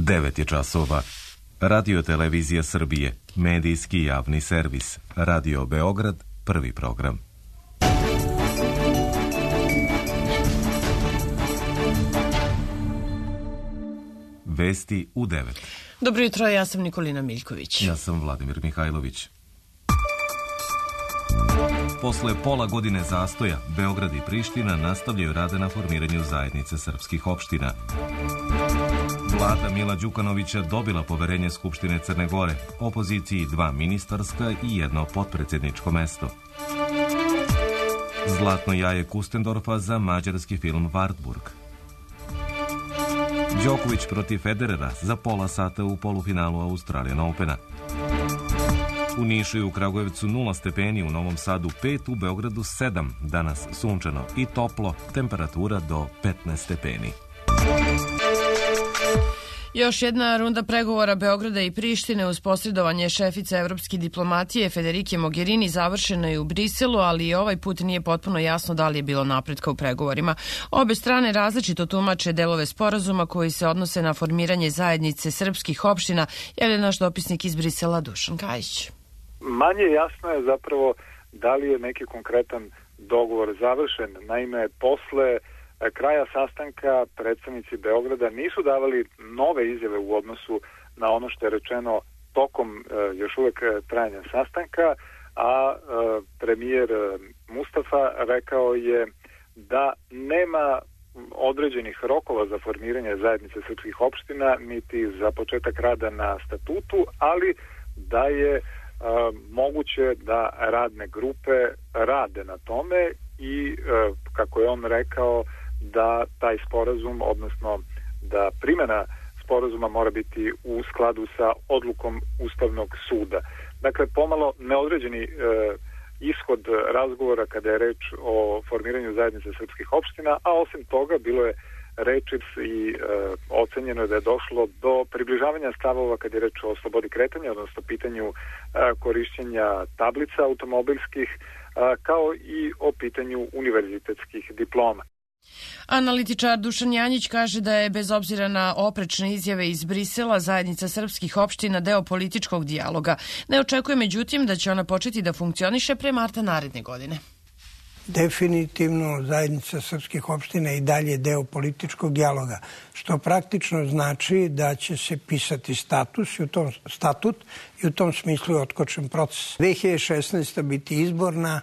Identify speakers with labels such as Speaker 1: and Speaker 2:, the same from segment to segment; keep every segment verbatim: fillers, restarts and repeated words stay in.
Speaker 1: devet je časova. Radio Televizija Srbije, medijski javni servis. Radio Beograd, prvi program. Vesti u devet.
Speaker 2: Dobro jutro, ja sam Nikolina Miljković.
Speaker 1: Ja sam Vladimir Mihajlović. Posle pola godine zastoja, Beograd i Priština nastavljaju rade na formiranju zajednice srpskih opština. Vlada Mila Đukanovića dobila poverenje Skupštine Crne Gore, opoziciji dva ministarska i jedno potpredsjedničko mesto. Zlatno jaje Kustendorfa za mađarski film Wartburg. Đoković protiv Federera za pola sata u polufinalu Australian Opena. U Nišu i u Kragujevcu nula stepeni, u Novom Sadu pet, u Beogradu sedam, danas sunčano i toplo, temperatura do petnaest stepeni.
Speaker 2: Još jedna runda pregovora Beograda i Prištine uz posredovanje šefice evropske diplomatije Federike Mogherini završena je u Briselu, ali i ovaj put nije potpuno jasno da li je bilo napretka u pregovorima. Obe strane različito tumače delove sporazuma koji se odnose na formiranje zajednice srpskih opština, javlja naš dopisnik iz Brisela Dušan Kajić.
Speaker 3: Manje jasno je zapravo da li je neki konkretan dogovor završen. Naime, posle kraja sastanka predstavnici Beograda nisu davali nove izjave u odnosu na ono što je rečeno tokom još uvek trajanja sastanka, a premijer Mustafa rekao je da nema određenih rokova za formiranje zajednice srpskih opština, niti za početak rada na statutu, ali da je moguće da radne grupe rade na tome i, kako je on rekao, da taj sporazum, odnosno da primjena sporazuma mora biti u skladu sa odlukom Ustavnog suda. Dakle, pomalo neodređeni e, ishod razgovora kada je reč o formiranju zajednice srpskih opština, a osim toga bilo je reči i e, ocenjeno je da je došlo do približavanja stavova kada je reč o slobodi kretanja, odnosno pitanju e, korišćenja tablica automobilskih, e, kao i o pitanju univerzitetskih diploma.
Speaker 2: Analitičar Dušan Janjić kaže da je, bez obzira na oprečne izjave iz Brisela, zajednica srpskih opština deo političkog dijaloga. Ne očekuje međutim da će ona početi da funkcioniše pre marta naredne godine.
Speaker 4: Definitivno zajednica srpskih opština i dalje deo političkog dijaloga, što praktično znači da će se pisati status i u tom, statut i u tom smislu je otkočen proces. dve hiljade šesnaesta. biti izborna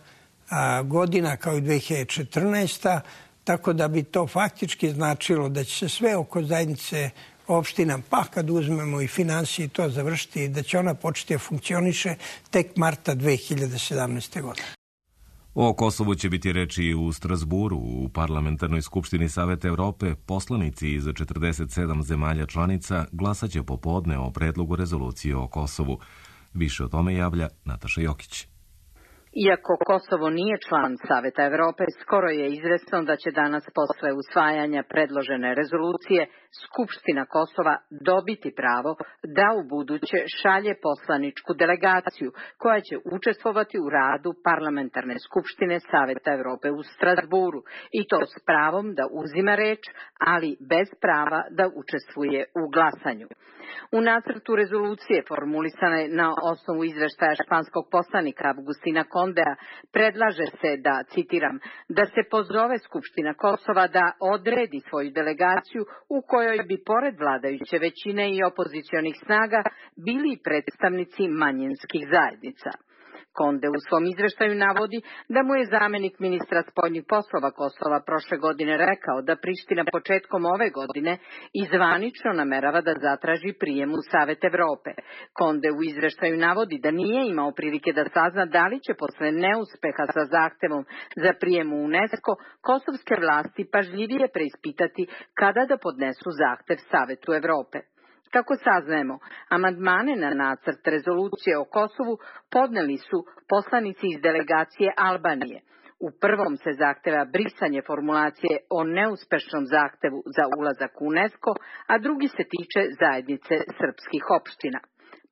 Speaker 4: a, godina kao i dve hiljade četrnaesta. Tako da bi to faktički značilo da će se sve oko zajednice opština, pa kad uzmemo i finansije, to završiti i da će ona početi da funkcioniše tek marta dve hiljade sedamnaeste. godine.
Speaker 1: O Kosovu će biti reči i u Strasburu. U Parlamentarnoj skupštini Saveta Evrope poslanici iz četrdeset sedam zemalja članica glasaće popodne o predlogu rezolucije o Kosovu. Više o tome javlja Nataša Jokić.
Speaker 5: Iako Kosovo nije član Saveta Evrope, skoro je izvesno da će danas posle usvajanja predložene rezolucije Skupština Kosova dobiti pravo da u buduće šalje poslaničku delegaciju koja će učestvovati u radu Parlamentarne skupštine Saveta Evrope u Strasburu i to s pravom da uzima reč, ali bez prava da učestvuje u glasanju. U nacrtu rezolucije formulisane na osnovu izveštaja španskog poslanika Agustina Kondea predlaže se da, citiram, da se pozove Skupština Kosova da odredi svoju delegaciju u kojoj bi pored vladajuće većine i opozicionih snaga bili predstavnici manjinskih zajednica. Konde u svom izveštaju navodi da mu je zamenik ministra spoljnih poslova Kosova prošle godine rekao da Priština početkom ove godine izvanično namerava da zatraži prijem u Savet Evrope. Konde u izveštaju navodi da nije imao prilike da sazna da li će posle neuspeha sa zahtevom za prijem u UNESCO kosovske vlasti pažljivije preispitati kada da podnesu zahtev Savetu Evrope. Kako saznajemo, amandmane na nacrt rezolucije o Kosovu podneli su poslanici iz delegacije Albanije. U prvom se zahteva brisanje formulacije o neuspešnom zahtevu za ulazak u UNESCO, a drugi se tiče zajednice srpskih opština.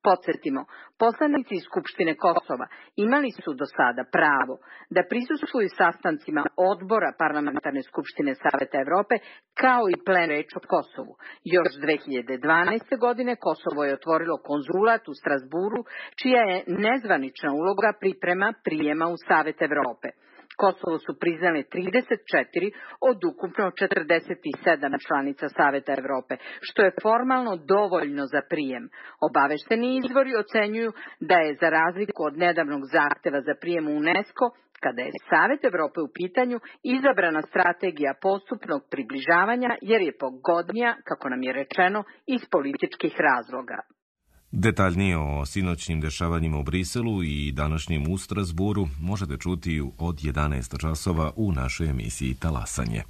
Speaker 5: Podsjetimo, poslanici iz Skupštine Kosova imali su do sada pravo da prisustvuju sastancima odbora Parlamentarne skupštine Saveta Evrope kao i plen reč o Kosovu. Još dve hiljade dvanaeste. godine Kosovo je otvorilo konzulat u Strasburu, čija je nezvanična uloga priprema prijema u Savet Evrope. Kosovo su priznale trideset četiri od ukupno četrdeset sedam članica Saveta Evrope, što je formalno dovoljno za prijem. Obavešteni izvori ocenjuju da je, za razliku od nedavnog zahteva za prijem u UNESCO, kada je Savet Evrope u pitanju, izabrana strategija postupnog približavanja jer je pogodnija, kako nam je rečeno, iz političkih razloga.
Speaker 1: Detaljnije o sinoćnim dešavanjima u Briselu i današnjem u Strasburu možete čuti od jedanaest časova u našoj emisiji Talasanje.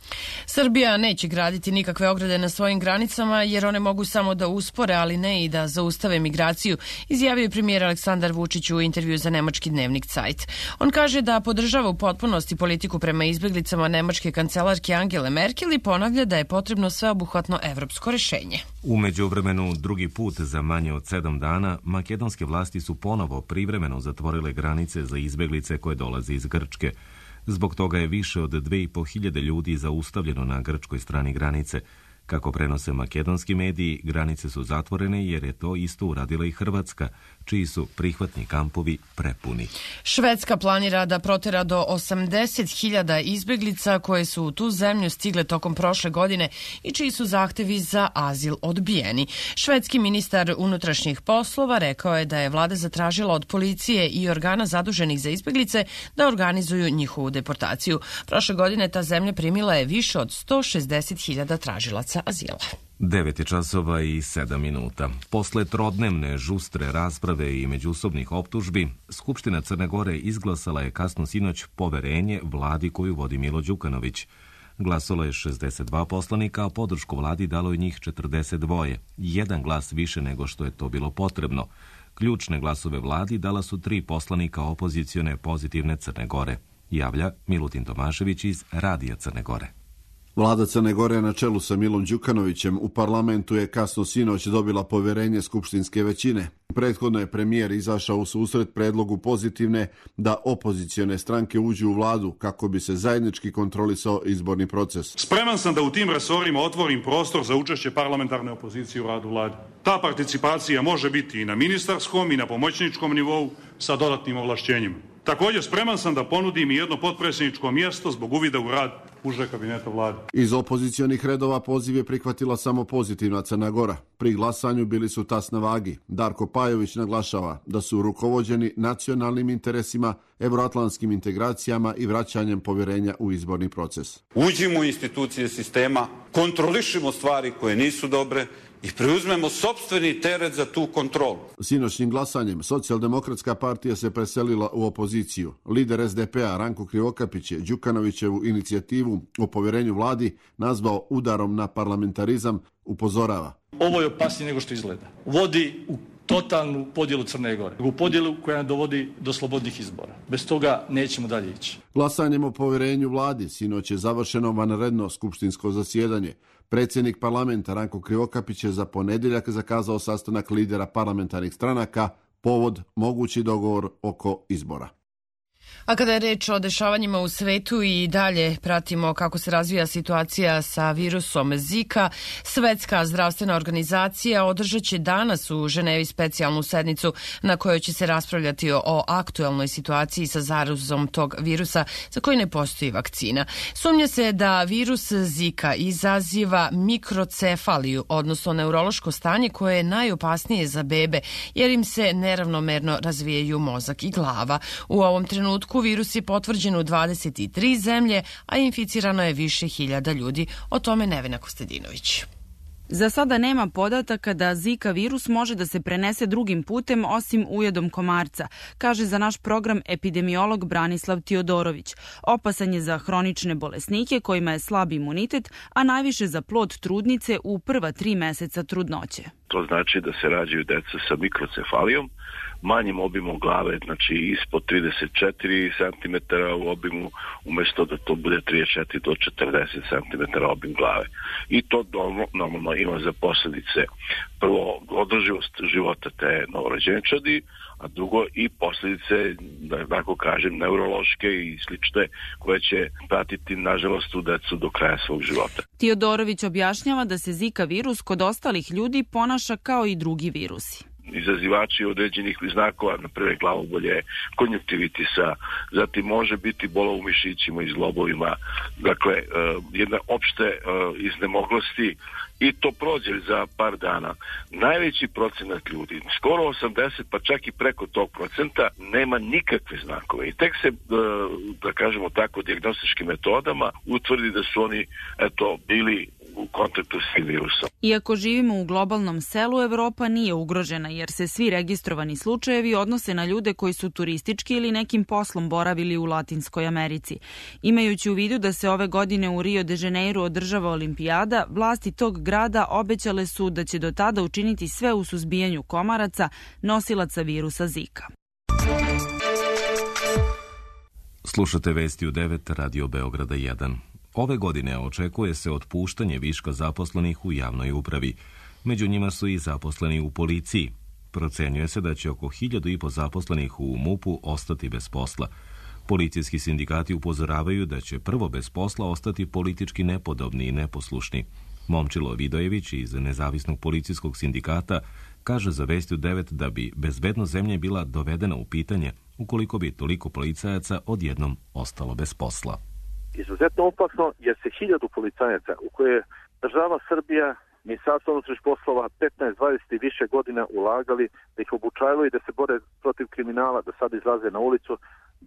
Speaker 2: Srbija neće graditi nikakve ograde na svojim granicama jer one mogu samo da uspore, ali ne i da zaustave migraciju, izjavio je premijer Aleksandar Vučić u intervju za nemački dnevnik Zeit. On kaže da podržava u potpunosti politiku prema izbeglicama nemačke kancelarke Angele Merkel i ponavlja da je potrebno sveobuhvatno evropsko rešenje.
Speaker 1: U međuvremenu, drugi put za manje od sedam dana, makedonske vlasti su ponovo privremeno zatvorile granice za izbeglice koje dolaze iz Grčke. Zbog toga je više od dve i po hiljade ljudi zaustavljeno na grčkoj strani granice. Kako prenose makedonski mediji, granice su zatvorene jer je to isto uradila i Hrvatska, čiji su prihvatni kampovi prepuni.
Speaker 2: Švedska planira da protera do osamdeset hiljada izbeglica koje su u tu zemlju stigle tokom prošle godine i čiji su zahtevi za azil odbijeni. Švedski ministar unutrašnjih poslova rekao je da je vlada zatražila od policije i organa zaduženih za izbeglice da organizuju njihovu deportaciju. Prošle godine ta zemlja primila je više od sto šezdeset hiljada tražilaca azila.
Speaker 1: devet je časova i sedam minuta. Posle trodnevne žustre rasprave i međusobnih optužbi, Skupština Crne Gore izglasala je kasno sinoć poverenje vladi koju vodi Milo Đukanović. Glasalo je šezdeset dva poslanika, a podršku vladi dalo je njih četrdeset dva, jedan glas više nego što je to bilo potrebno. Ključne glasove vladi dala su tri poslanika opozicione Pozitivne Crne Gore, javlja Milutin Tomašević iz Radija Crne Gore.
Speaker 6: Vlada Crne Gore na čelu sa Milom Đukanovićem u parlamentu je kasno sinoć dobila poverenje skupštinske većine. Prethodno je premijer izašao u susret predlogu Pozitivne da opozicione stranke uđu u vladu kako bi se zajednički kontrolisao izborni proces.
Speaker 7: Spreman sam da u tim resorima otvorim prostor za učešće parlamentarne opozicije u radu vlade. Ta participacija može biti i na ministarskom i na pomoćničkom nivou sa dodatnim ovlašćenjima. Također spreman sam da ponudim i jedno potpredsjedničko mjesto zbog uvida u rad uže kabineta vlade.
Speaker 6: Iz opozicionih redova poziv je prihvatila samo Pozitivna Crna Gora. Pri glasanju bili su tas na vagi. Darko Pajović naglašava da su rukovođeni nacionalnim interesima, evroatlantskim integracijama i vraćanjem povjerenja u izborni proces.
Speaker 8: Uđimo u institucije sistema, kontrolišimo stvari koje nisu dobre i preuzmemo sopstveni teret za tu kontrolu.
Speaker 6: Sinoćnim glasanjem Socijaldemokratska partija se preselila u opoziciju. Lider es de pe a Ranko Krivokapić je Đukanovićevu inicijativu o povjerenju vladi nazvao udarom na parlamentarizam, upozorava.
Speaker 9: Ovo je opasnije nego što izgleda. Vodi u totalnu podjelu Crne Gore. U podjelu koja dovodi do slobodnih izbora. Bez toga nećemo dalje ići.
Speaker 6: Glasanjem o povjerenju vladi sinoć je završeno vanredno skupštinsko zasjedanje. Predsjednik parlamenta Ranko Krivokapić je za ponedjeljak zakazao sastanak lidera parlamentarnih stranaka, povod mogući dogovor oko izbora.
Speaker 2: A kada je reč o dešavanjima u svetu i dalje pratimo kako se razvija situacija sa virusom Zika, Svetska zdravstvena organizacija održat će danas u Ženevi specijalnu sednicu na kojoj će se raspravljati o aktuelnoj situaciji sa zarazom tog virusa za koji ne postoji vakcina. Sumnja se da virus Zika izaziva mikrocefaliju, odnosno neurološko stanje koje je najopasnije za bebe jer im se neravnomerno razvijaju mozak i glava. U ovom trenutku virus je potvrđen u dvadeset tri zemlje, a inficirano je više hiljada ljudi. O tome Nevena Kostadinović.
Speaker 10: Za sada nema podataka da Zika virus može da se prenese drugim putem osim ujedom komarca, kaže za naš program epidemiolog Branislav Tiodorović. Opasan je za hronične bolesnike kojima je slab imunitet, a najviše za plod trudnice u prva tri meseca trudnoće.
Speaker 11: To znači da se rađaju deca sa mikrocefalijom, manjim obimom glave, znači ispod trideset četiri centimetara u obimu, umjesto da to bude trideset četiri do četrdeset centimetara obim glave. I to normalno ima za posljedice prvo održivost života te novorođenčadi, a drugo i posljedice, da tako kažem, neurološke i slične, koje će pratiti, nažalost, u decu do kraja svog života.
Speaker 10: Tiodorović objašnjava da se Zika virus kod ostalih ljudi ponaša kao i drugi virusi.
Speaker 11: Izazivači određenih znakova, na prve glavobolje, konjuktivitisa, zatim može biti bola u mišićima i zglobovima, dakle, jedna opšte iznemoglosti, i to prođe za par dana. Najveći procenat ljudi, skoro osamdeset, pa čak i preko tog procenta, nema nikakve znakove. I tek se, da kažemo tako, dijagnostičkim metodama utvrdi da su oni, eto, bili u kontaktu s tim virusom.
Speaker 10: Iako živimo u globalnom selu, Evropa nije ugrožena, jer se svi registrovani slučajevi odnose na ljude koji su turistički ili nekim poslom boravili u Latinskoj Americi. Imajući u vidu da se ove godine u Rio de Janeiro održava olimpijada, vlasti tog grada obećale su da će do tada učiniti sve u suzbijanju komaraca, nosilaca virusa Zika.
Speaker 1: Slušate vesti u devet Radio Beograda jedan. Ove godine očekuje se otpuštanje viška zaposlenih u javnoj upravi. Među njima su i zaposleni u policiji. Procenjuje se da će oko hiljadu i po zaposlenih u MUP-u ostati bez posla. Policijski sindikati upozoravaju da će prvo bez posla ostati politički nepodobni i neposlušni. Momčilo Vidojević iz Nezavisnog policijskog sindikata kaže za Vesti u devet da bi bezbednost zemlje bila dovedena u pitanje ukoliko bi toliko policajaca odjednom ostalo bez posla.
Speaker 12: Izuzetno opasno jer se hiljadu policajaca u koje država Srbija, Ministarstvo unutrašnjih poslova petnaest, dvadeset i više godina ulagali, da ih obučavaju i da se bore protiv kriminala, da sad izlaze na ulicu,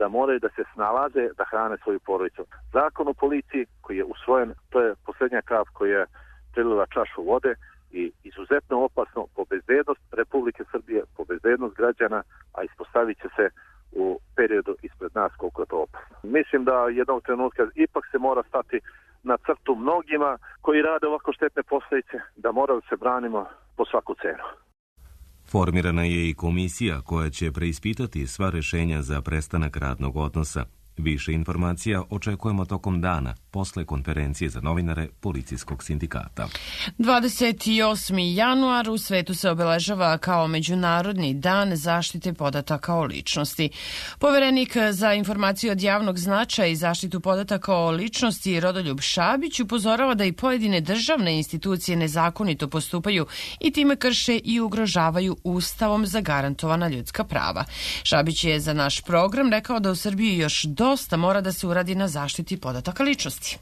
Speaker 12: da moraju da se snalaze, da hrane svoju porodicu. Zakon o policiji koji je usvojen, to je posljednja kap koja je prilila čašu vode i izuzetno opasno po bezbednost Republike Srbije, po bezbednost građana, a ispostavit će se u periodu ispred nas koliko je to opasno. Mislim da jednog trenutka ipak se mora stati na crtu mnogima koji rade ovako štetne posljedice, da moramo se branimo po svaku cenu.
Speaker 1: Formirana je i komisija koja će preispitati sva rješenja za prestanak radnog odnosa. Više informacija očekujemo tokom dana, posle konferencije za novinare Policijskog sindikata.
Speaker 2: dvadeset osmi januar u svetu se obeležava kao Međunarodni dan zaštite podataka o ličnosti. Poverenik za informaciju od javnog značaja i zaštitu podataka o ličnosti Rodoljub Šabić upozorava da i pojedine državne institucije nezakonito postupaju i time krše i ugrožavaju Ustavom zagarantovana ljudska prava. Šabić je za naš program rekao da u Srbiji još dosta mora da se uradi na zaštiti podataka ličnosti.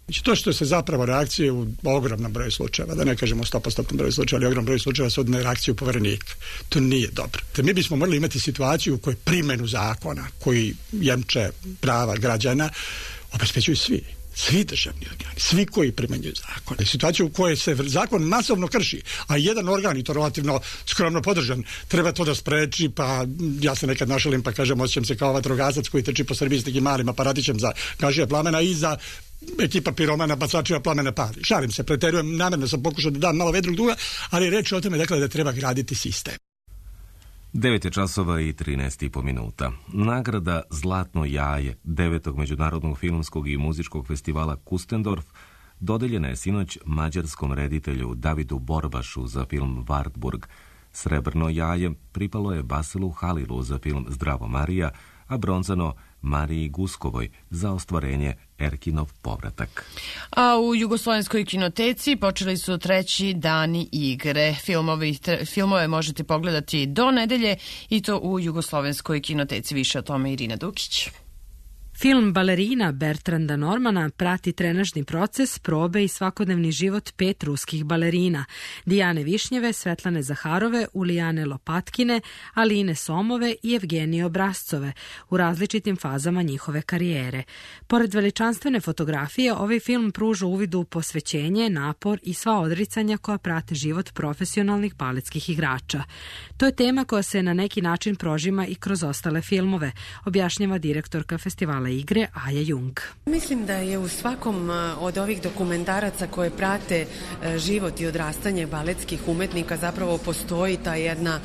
Speaker 13: Znači, to što se zapravo reakcije u ogromnom broju slučajeva, da ne kažemo sto posto broju slučajeva, ali ogromnom broju slučajeva su na reakciju poverenika. To nije dobro. Te mi bismo morali imati situaciju u kojoj primjenu zakona koji jemče prava građana obezbeđuju svi. Svi državni organi, svi koji primenjuju zakon. Situacija u kojoj se zakon masovno krši, a jedan organ, i to relativno skromno podržan, treba to da spreči, pa ja se nekad našalim pa kažem, osjećam se kao vatrogasac koji trči po Srbiji s nekim malim aparatićem za gašenje plamena i za ekipa piromana bacačeva plamena pali. Šalim se, preterujem, namjerno sam pokušao da dam malo vedrog duga, ali reč o tome dakle da treba graditi sistem.
Speaker 1: devet je časova i trinaest i po minuta. Nagrada Zlatno jaje devetog Međunarodnog filmskog i muzičkog festivala Kustendorf dodeljena je sinoć mađarskom reditelju Davidu Borbašu za film Wartburg. Srebrno jaje pripalo je Basilu Halilu za film Zdravo Marija, a bronzano Mariji Guskovoj za ostvarenje Erkinov povratak.
Speaker 2: A u Jugoslovenskoj kinoteci počeli su treći dani igre. Filmovi, tre, filmove možete pogledati do nedelje i to u Jugoslovenskoj kinoteci. Više o tome Irina Dukić.
Speaker 14: Film Balerina Bertranda Normana prati trenažni proces, probe i svakodnevni život pet ruskih balerina. Dijane Višnjeve, Svetlane Zaharove, Ulijane Lopatkine, Aline Somove i Evgenije Obrazcove u različitim fazama njihove karijere. Pored veličanstvene fotografije, ovaj film pruža uvid u posvećenje, napor i sva odricanja koja prate život profesionalnih baletskih igrača. To je tema koja se na neki način prožima i kroz ostale filmove, objašnjava direktorka festivala komentrisala igre Aja Jung.
Speaker 15: Mislim da je u svakom od ovih dokumentaraca koje prate život i odrastanje baletskih umetnika zapravo postoji ta jedna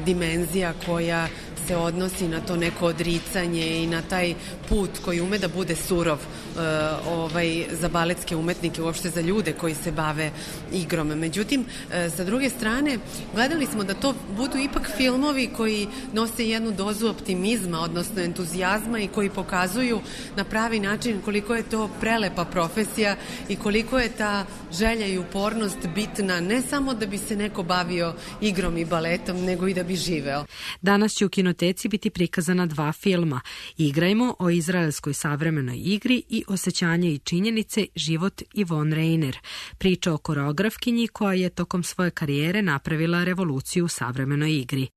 Speaker 15: dimenzija koja se odnosi na to neko odricanje i na taj put koji ume da bude surov uh, ovaj, za baletske umetnike, uopšte za ljude koji se bave igrom. Međutim, uh, sa druge strane, gledali smo da to budu ipak filmovi koji nose jednu dozu optimizma, odnosno entuzijazma i koji pokazuju na pravi način koliko je to prelepa profesija i koliko je ta želja i upornost bitna ne samo da bi se neko bavio igrom i baletom, nego i da bi živeo.
Speaker 14: Danas će u kinoteci biti prikazana dva filma. Igrajmo o izraelskoj savremenoj igri i Osjećanje i činjenice život Yvonne Rainer. Priča o koreografkinji koja je tokom svoje karijere napravila revoluciju u savremenoj igri.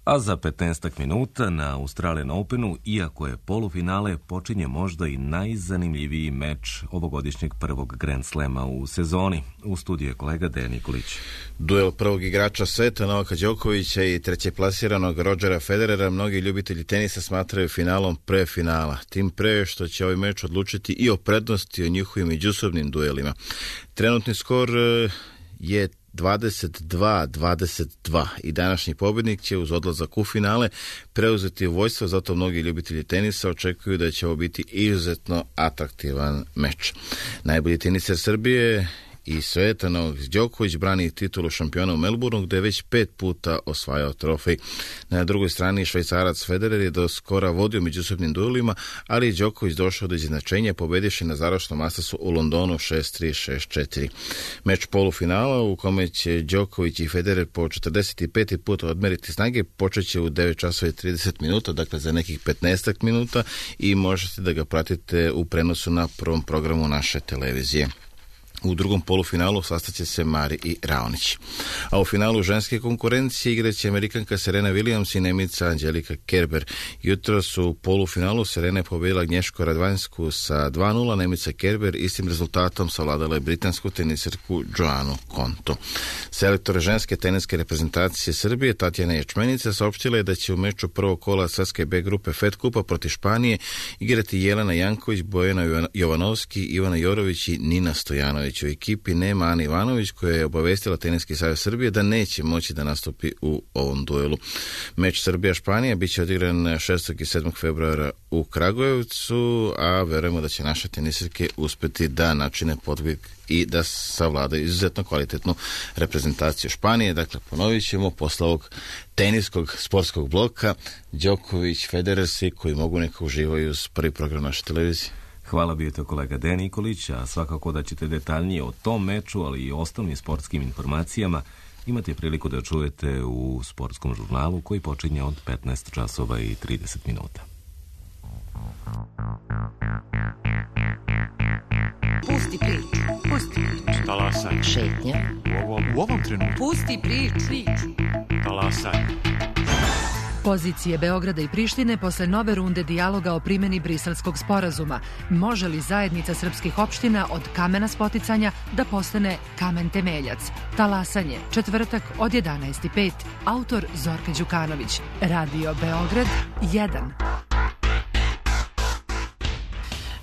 Speaker 1: A za petnaest minuta na Australian Openu, iako je polufinale, počinje možda i najzanimljiviji meč ovogodišnjeg prvog Grand Slema u sezoni. U studiju je kolega Dejan Nikolić.
Speaker 16: Duel prvog igrača sveta Novaka Đokovića i trećeplasiranog Rodgera Federera mnogi ljubitelji tenisa smatraju finalom pre finala. Tim pre što će ovaj meč odlučiti i o prednosti o njihovim međusobnim duelima. Trenutni skor je dvadeset dva dvadeset dva i današnji pobjednik će uz odlazak u finale preuzeti vojstvo, zato mnogi ljubitelji tenisa očekuju da će ovo biti izuzetno atraktivan meč. Najbolji teniser Srbije i sveta Novak Đoković brani titulu šampiona u Melbourneu, gde je već pet puta osvajao trofej. Na drugoj strani Švajcarac Federer je do skora vodio međusobnim duelima, ali je Đoković došao do izjednačenja pobedivši na završnom Mastersu u Londonu šest tri šest četiri. Meč polufinala u kome će Đoković i Federer po četrdeset pet put odmeriti snage počeće u devet časova i trideset minuta, dakle za nekih petnaest minuta, i možete da ga pratite u prenosu na prvom programu naše televizije. U drugom polufinalu sastaće se Mari i Raonić. A u finalu ženske konkurencije igraće Amerikanka Serena Williams i Nemica Angelika Kerber. Jutro su u polufinalu Serena pobedila Agnješko Radvanjsku sa dva nula, Nemica Kerber istim rezultatom savladala je britansku teniserku Joanu Konto. Selektor ženske teniske reprezentacije Srbije Tatjana Ječmenica saopštila je da će u meču prvog kola svetske B grupe Fed Kupa protiv Španije igrati Jelena Janković, Bojana Jovanovski, Ivana Jorović i Nina Stojanović. U ekipi nema Ana Ivanović, koja je obavestila Teniski savez Srbije da neće moći da nastupi u ovom duelu. Meč Srbija-Španija biće odigran šestog i sedmog februara u Kragujevcu, a verujemo da će naše tenisirke uspeti da načine podvig i da savladaju izuzetno kvalitetnu reprezentaciju Španije. Dakle, ponovit ćemo posle ovog teniskog sportskog bloka Đoković, Federer, svi koji mogu neka uživaju uz prvi program naše televizije.
Speaker 1: Hvala, bio to kolega Dejan Nikolić, a svakako da ćete detaljnije o tom meču, ali i osnovnim sportskim informacijama imate priliku da čujete u sportskom žurnalu koji počinje od petnaest časova i trideset minuta.
Speaker 17: Pusti priču, pusti priču. Talasaj. Šetnja. U ovom, u ovom trenutku. Pusti priču, priču. Talasaj.
Speaker 18: Pozicije Beograda i Prištine posle nove runde dijaloga o primjeni Briselskog sporazuma. Može li zajednica srpskih opština od kamena spoticanja da postane kamen temeljac? Talasanje, četvrtak od jedanaest i pet. Autor Zorka Đukanović. Radio Beograd jedan.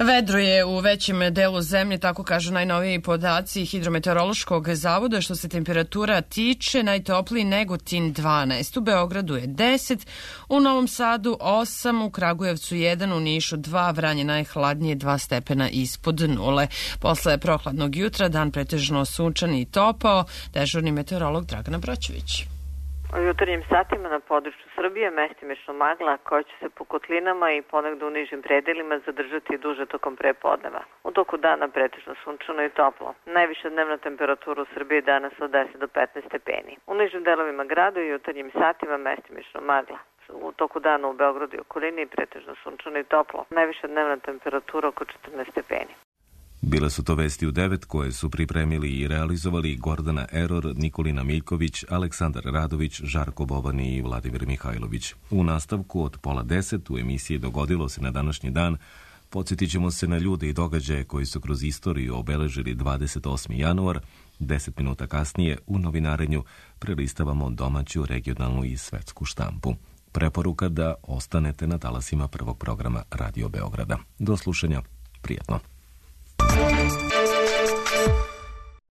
Speaker 2: Vedro je u većem delu zemlje, tako kažu najnoviji podaci Hidrometeorološkog zavoda. Što se temperatura tiče, najtopliji Negotin dvanaest, u Beogradu je deset, u Novom Sadu osam, u Kragujevcu jedan, u Nišu dva, Vranje najhladnije dva stepena ispod nule. Posle prohladnog jutra dan pretežno sunčan i topao, dežurni meteorolog Dragana Broćević.
Speaker 19: U jutarnjim satima na području Srbije mestimično magla koja će se po kotlinama i ponegde u nižim predelima zadržati duže tokom prepodneva. U toku dana pretežno sunčano i toplo. Najviša dnevna temperatura u Srbiji danas od deset do petnaest stepeni. U nižim delovima grada i jutarnjim satima mestimično magla. U toku dana u Beogradu i okolini pretežno sunčano i toplo. Najviša dnevna temperatura oko četrnaest stepeni.
Speaker 1: Bile su to vesti u devet koje su pripremili i realizovali Gordana Eror, Nikolina Miljković, Aleksandar Radović, Žarko Boban i Vladimir Mihajlović. U nastavku od pola deset u emisiji Dogodilo se na današnji dan podsjetit ćemo se na ljude i događaje koji su kroz istoriju obeležili dvadeset osmi januar. Deset minuta kasnije u novinarenju prelistavamo domaću, regionalnu i svetsku štampu. Preporuka da ostanete na talasima prvog programa Radio Beograda. Do slušanja, prijatno.